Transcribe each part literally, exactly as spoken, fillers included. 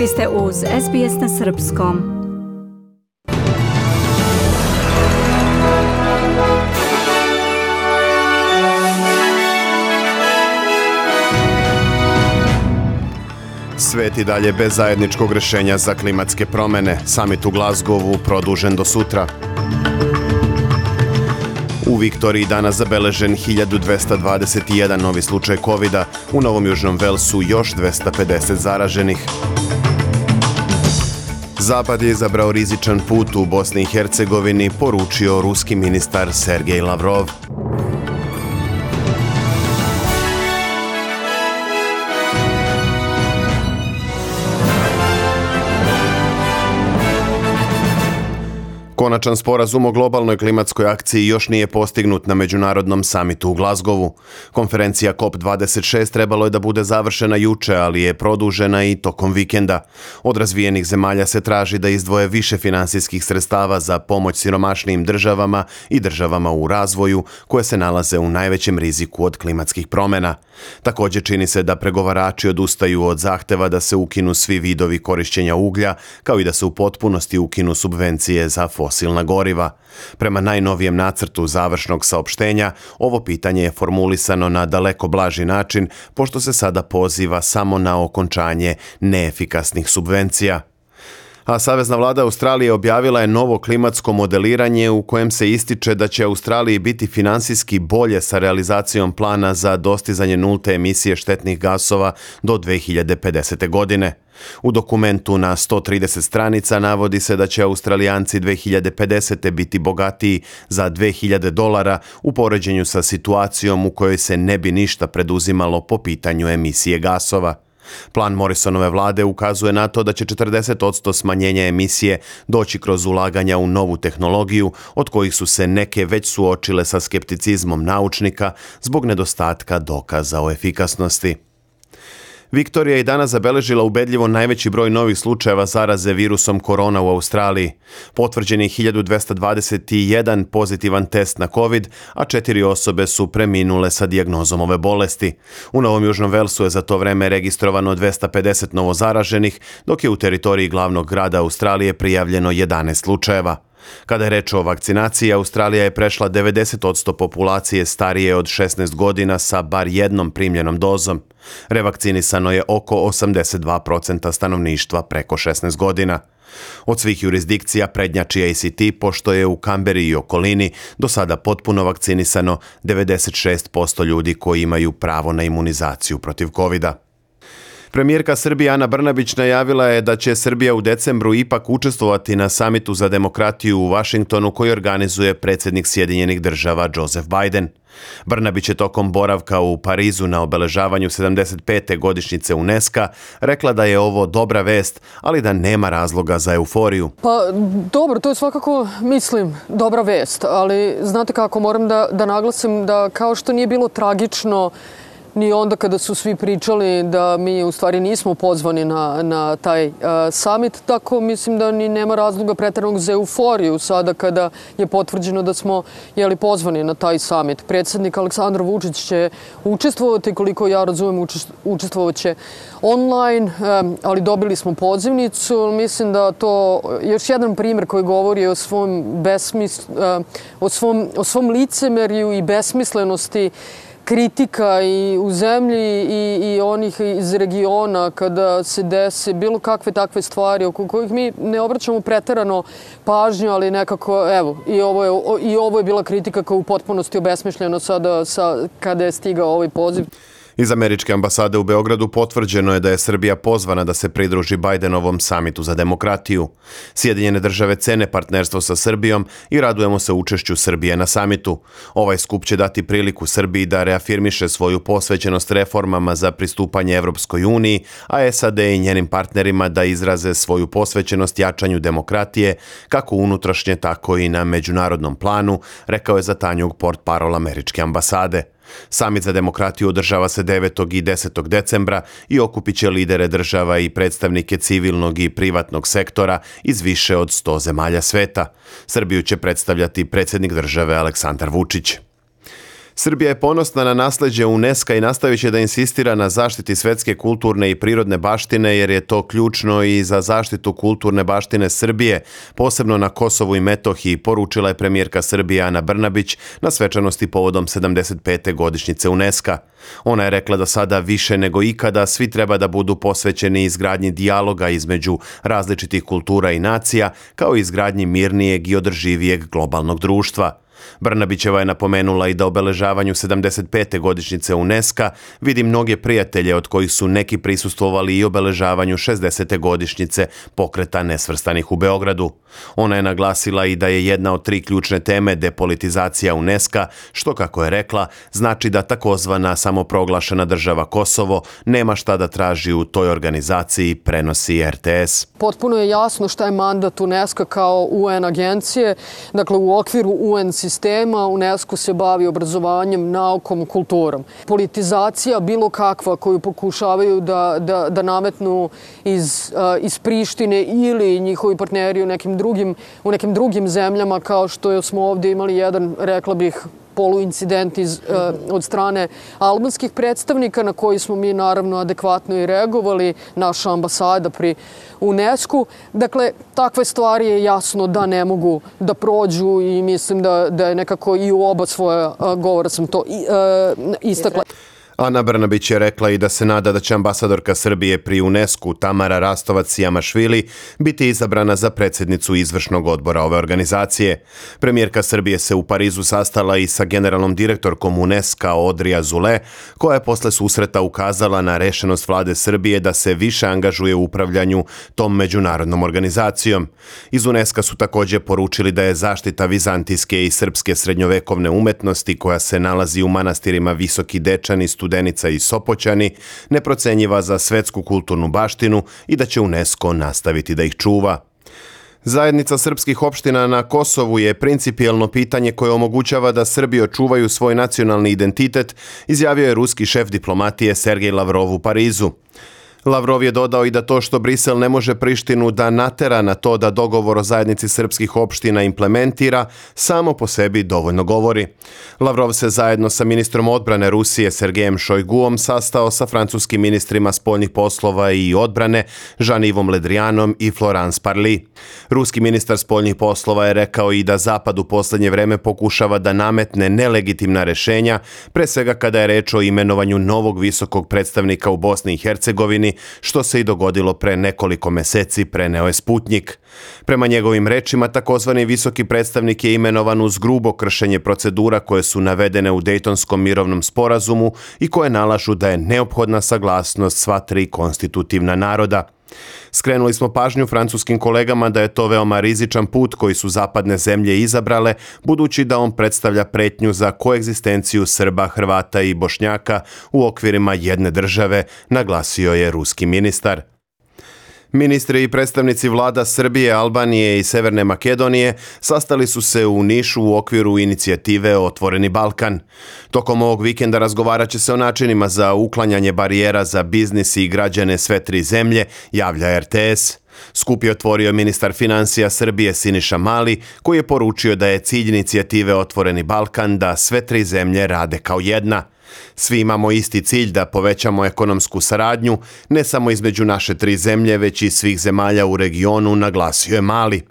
Vi ste uz S B S na srpskom. Svet i dalje bez zajedničkog rješenja za klimatske promjene. Samit u Glasgowu produžen do sutra. U Viktoriji danas zabeležen hiljadu dvesta dvadeset jedan novi slučaj kovida, u Novom Južnom Velsu još dvesta pedeset zaraženih. Zapad je izabrao rizičan put u Bosni i Hercegovini, poručio ruski ministar Sergej Lavrov. Konačan sporazum o globalnoj klimatskoj akciji još nije postignut na međunarodnom samitu u Glasgowu. Konferencija C O P dvadeset šest trebalo je da bude završena juče, ali je produžena i tokom vikenda. Od razvijenih zemalja se traži da izdvoje više finansijskih sredstava za pomoć siromašnijim državama i državama u razvoju koje se nalaze u najvećem riziku od klimatskih promjena. Također čini se da pregovarači odustaju od zahteva da se ukinu svi vidovi korišćenja uglja, kao i da se u potpunosti ukinu subvencije za fosilna goriva. Prema najnovijem nacrtu završnog saopštenja, ovo pitanje je formulisano na daleko blaži način, pošto se sada poziva samo na okončanje neefikasnih subvencija. A Savezna vlada Australije objavila je novo klimatsko modeliranje u kojem se ističe da će Australiji biti finansijski bolje sa realizacijom plana za dostizanje nulte emisije štetnih gasova do dve hiljade pedesete. godine. U dokumentu na sto trideset stranica navodi se da će Australijanci dve hiljade pedesete. biti bogatiji za dve hiljade dolara u poređenju sa situacijom u kojoj se ne bi ništa preduzimalo po pitanju emisije gasova. Plan Morrisonove vlade ukazuje na to da će četrdeset posto smanjenja emisije doći kroz ulaganja u novu tehnologiju, od kojih su se neke već suočile sa skepticizmom naučnika zbog nedostatka dokaza o efikasnosti. Viktorija je danas zabeležila ubedljivo najveći broj novih slučajeva zaraze virusom korona u Australiji. Potvrđen je hiljadu dvesta dvadeset jedan pozitivan test na COVID, a četiri osobe su preminule sa dijagnozom ove bolesti. U Novom Južnom Velsu je za to vreme registrovano dvesta pedeset novozaraženih, dok je u teritoriji glavnog grada Australije prijavljeno jedanaest slučajeva. Kada je reč o vakcinaciji, Australija je prešla devedeset posto populacije starije od šesnaest godina sa bar jednom primljenom dozom. Revakcinisano je oko osamdeset dva posto stanovništva preko šesnaest godina. Od svih jurisdikcija prednjači A C T, pošto je u Kamberi i okolini do sada potpuno vakcinisano devedeset šest posto ljudi koji imaju pravo na imunizaciju protiv kovida. Premijerka Srbije Ana Brnabić najavila je da će Srbija u decembru ipak učestvovati na samitu za demokratiju u Vašingtonu koji organizuje predsjednik Sjedinjenih država Joseph Biden. Brnabić je tokom boravka u Parizu na obeležavanju sedamdeset pete godišnjice UNESCO rekla da je ovo dobra vest, ali da nema razloga za euforiju. Pa dobro, to je svakako, mislim, dobra vest, ali znate kako, moram da, da naglasim da kao što nije bilo tragično ni onda kada su svi pričali da mi u stvari nismo pozvani na, na taj uh, summit, tako mislim da ni nema razloga pretjeranog za euforiju sada kada je potvrđeno da smo jeli, pozvani na taj summit. Predsjednik Aleksandar Vučić će učestvovati, koliko ja razumem, učestvovat će online, um, ali dobili smo pozivnicu. Mislim da to još jedan primjer koji govori o svom, besmis, uh, o svom, o svom licemerju i besmislenosti kritika i u zemlji i, i onih iz regiona kada se dese bilo kakve takve stvari oko kojih mi ne obraćamo preterano pažnju, ali nekako, evo, i ovo je, i ovo je bila kritika koja je u potpunosti obesmišljena sada sa, kada je stigao ovaj poziv. Iz američke ambasade u Beogradu potvrđeno je da je Srbija pozvana da se pridruži Bidenovom samitu za demokratiju. Sjedinjene države cene partnerstvo sa Srbijom i radujemo se učešću Srbije na samitu. Ovaj skup će dati priliku Srbiji da reafirmiše svoju posvećenost reformama za pristupanje Evropskoj uniji, a S A D i njenim partnerima da izraze svoju posvećenost jačanju demokratije, kako unutrašnje, tako i na međunarodnom planu, rekao je za Tanjug portparol američke ambasade. Samit za demokratiju održava se devetog i desetog decembra i okupit će lidere država i predstavnike civilnog i privatnog sektora iz više od sto zemalja sveta. Srbiju će predstavljati predsjednik države Aleksandar Vučić. Srbija je ponosna na nasleđe UNESCO i nastavit će da insistira na zaštiti svetske kulturne i prirodne baštine jer je to ključno i za zaštitu kulturne baštine Srbije, posebno na Kosovu i Metohiji, poručila je premijerka Srbije Ana Brnabić na svečanosti povodom sedamdeset pete godišnjice UNESCO. Ona je rekla da sada više nego ikada svi treba da budu posvećeni izgradnji dijaloga između različitih kultura i nacija, kao i izgradnji mirnijeg i održivijeg globalnog društva. Brnabićeva je napomenula i da obeležavanju sedamdeset pete godišnjice UNESCO vidi mnoge prijatelje od kojih su neki prisustvovali i obeležavanju šezdesete godišnjice pokreta nesvrstanih u Beogradu. Ona je naglasila i da je jedna od tri ključne teme depolitizacija UNESCO, što, kako je rekla, znači da takozvana samoproglašena država Kosovo nema šta da traži u toj organizaciji, prenosi R T S. Potpuno je jasno šta je mandat UNESCO kao U N agencije. Dakle, u okviru U N sistema UNESCO se bavi obrazovanjem, naukom, kulturom. Politizacija bilo kakva koju pokušavaju da, da, da nametnu iz, uh, iz Prištine ili njihovi partneri u nekim drugim, u nekim drugim zemljama, kao što smo ovdje imali jedan, rekla bih, poluincident iz, uh, od strane albanskih predstavnika na koji smo mi naravno adekvatno i reagovali, naša ambasada pri UNESCO. Dakle, takve stvari je jasno da ne mogu da prođu i mislim da, da je nekako i u oba svoja uh, govora sam to i, uh, istakla. Ana Brnabić je rekla i da se nada da će ambasadorka Srbije pri UNESCO Tamara Rastovac-Jamašvili biti izabrana za predsjednicu izvršnog odbora ove organizacije. Premijerka Srbije se u Parizu sastala i sa generalnom direktorkom UNESCO Audrey Azoulay, koja je posle susreta ukazala na rešenost vlade Srbije da se više angažuje u upravljanju tom međunarodnom organizacijom. Iz UNESCO su također poručili da je zaštita vizantijske i srpske srednjovekovne umetnosti koja se nalazi u manastirima Visoki Dečani, Studenica i Sopoćani neprocenjiva za svetsku kulturnu baštinu i da će UNESCO nastaviti da ih čuva. Zajednica srpskih opština na Kosovu je principijelno pitanje koje omogućava da Srbi očuvaju svoj nacionalni identitet, izjavio je ruski šef diplomatije Sergej Lavrov u Parizu. Lavrov je dodao i da to što Brisel ne može Prištinu da natera na to da dogovor o zajednici srpskih opština implementira, samo po sebi dovoljno govori. Lavrov se zajedno sa ministrom odbrane Rusije Sergejem Šojguom sastao sa francuskim ministrima spoljnih poslova i odbrane Jean-Yves Le Drianom i Florence Parly. Ruski ministar spoljnih poslova je rekao i da Zapad u posljednje vreme pokušava da nametne nelegitimna rešenja, pre svega kada je reč o imenovanju novog visokog predstavnika u Bosni i Hercegovini, što se i dogodilo pre nekoliko meseci, preneo je Sputnjik. Prema njegovim rečima, takozvani visoki predstavnik je imenovan uz grubo kršenje procedura koje su navedene u Dejtonskom mirovnom sporazumu i koje nalažu da je neophodna saglasnost sva tri konstitutivna naroda. Skrenuli smo pažnju francuskim kolegama da je to veoma rizičan put koji su zapadne zemlje izabrale, budući da on predstavlja pretnju za koegzistenciju Srba, Hrvata i Bošnjaka u okvirima jedne države, naglasio je ruski ministar. Ministri i predstavnici vlada Srbije, Albanije i Severne Makedonije sastali su se u Nišu u okviru inicijative Otvoreni Balkan. Tokom ovog vikenda razgovarat će se o načinima za uklanjanje barijera za biznis i građane sve tri zemlje, javlja R T S. Skup je otvorio ministar financija Srbije Siniša Mali, koji je poručio da je cilj inicijative Otvoreni Balkan da sve tri zemlje rade kao jedna. Svi imamo isti cilj da povećamo ekonomsku saradnju, ne samo između naše tri zemlje, već i svih zemalja u regionu, naglasio je Mali.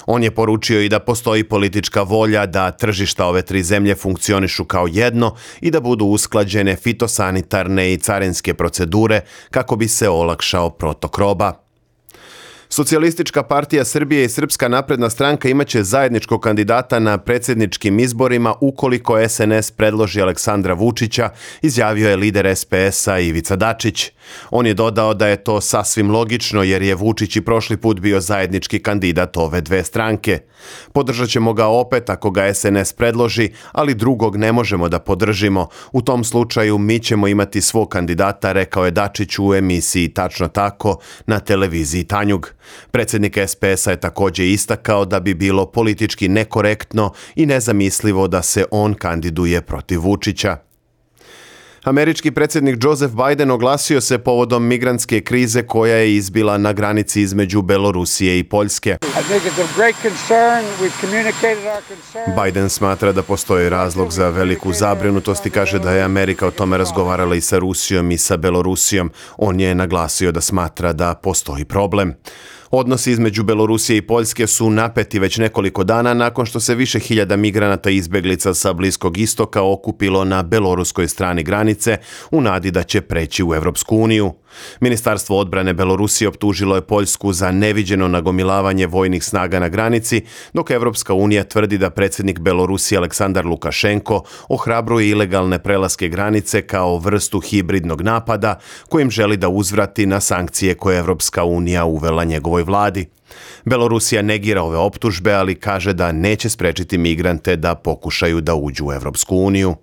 On je poručio i da postoji politička volja da tržišta ove tri zemlje funkcionišu kao jedno i da budu usklađene fitosanitarne i carinske procedure kako bi se olakšao protok roba. Socijalistička partija Srbije i Srpska napredna stranka imaće zajedničkog kandidata na predsjedničkim izborima ukoliko S N S predloži Aleksandra Vučića, izjavio je lider S P S-a Ivica Dačić. On je dodao da je to sasvim logično jer je Vučić i prošli put bio zajednički kandidat ove dve stranke. Podržat ćemo ga opet ako ga S N S predloži, ali drugog ne možemo da podržimo. U tom slučaju mi ćemo imati svog kandidata, rekao je Dačić u emisiji Tačno tako na televiziji Tanjug. Predsjednik S P S-a je također istakao da bi bilo politički nekorektno i nezamislivo da se on kandiduje protiv Vučića. Američki predsjednik Joseph Biden oglasio se povodom migrantske krize koja je izbila na granici između Belorusije i Poljske. Biden smatra da postoji razlog za veliku zabrinutost i kaže da je Amerika o tome razgovarala i sa Rusijom i sa Belorusijom. On je naglasio da smatra da postoji problem. Odnosi između Belorusije i Poljske su napeti već nekoliko dana nakon što se više hiljada migranata i izbjeglica sa Bliskog istoka okupilo na beloruskoj strani granice u nadi da će preći u Europsku uniju. Ministarstvo odbrane Belorusije optužilo je Poljsku za neviđeno nagomilavanje vojnih snaga na granici, dok Europska unija tvrdi da predsjednik Belorusije Aleksandar Lukašenko ohrabruje ilegalne prelaske granice kao vrstu hibridnog napada kojim želi da uzvrati na sankcije koje je Europska unija uvela njegovoj vladi. Belorusija negira ove optužbe, ali kaže da neće sprečiti migrante da pokušaju da uđu u Europsku uniju.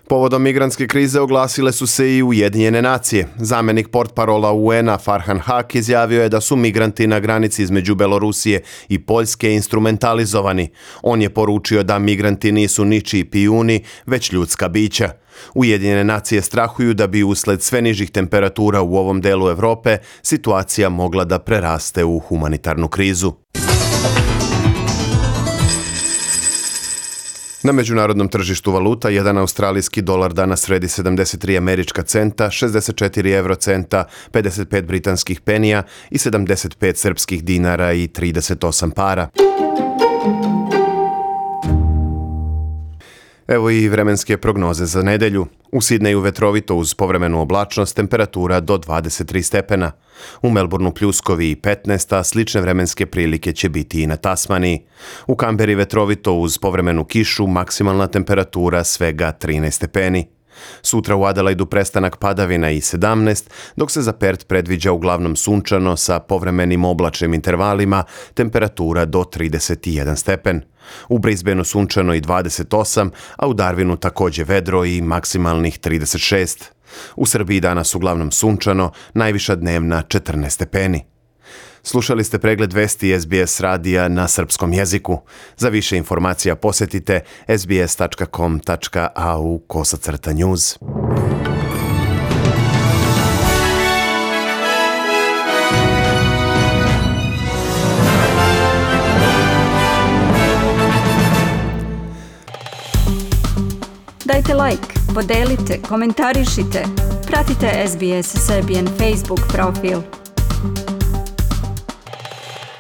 Povodom migrantske krize oglasile su se i Ujedinjene nacije. Zamjenik portparola U N-a Farhan Haq izjavio je da su migranti na granici između Belorusije i Poljske instrumentalizovani. On je poručio da migranti nisu ničiji pijuni, već ljudska bića. Ujedinjene nacije strahuju da bi usled sve nižih temperatura u ovom delu Europe situacija mogla da preraste u humanitarnu krizu. Na međunarodnom tržištu valuta jedan australijski dolar danas vredi sedamdeset tri američka centa, šezdeset četiri eurocenta, pedeset pet britanskih penija i sedamdeset pet srpskih dinara i trideset osam para. Evo i vremenske prognoze za nedelju. U Sidneju vetrovito uz povremenu oblačnost, temperatura do dvadeset tri stepena. U Melbourneu pljuskovi i petnaest, a slične vremenske prilike će biti i na Tasmaniji. U Kamberi vetrovito uz povremenu kišu, maksimalna temperatura svega trinaest stepeni. Sutra u Adelaidu prestanak padavina i sedamnaest, dok se za Perth predviđa uglavnom sunčano sa povremenim oblačnim intervalima, temperatura do trideset jedan stepen. U Brisbaneu sunčano i dvadeset osam, a u Darwinu također vedro i maksimalnih trideset šest. U Srbiji danas uglavnom sunčano, najviša dnevna četrnaest stepeni. Slušali ste pregled vesti S B S radija na srpskom jeziku. Za više informacija posjetite sbs tačka com tačka a u kosacrta news. Dajte like, podelite, komentarišite. Pratite S B S Serbian Facebook profil.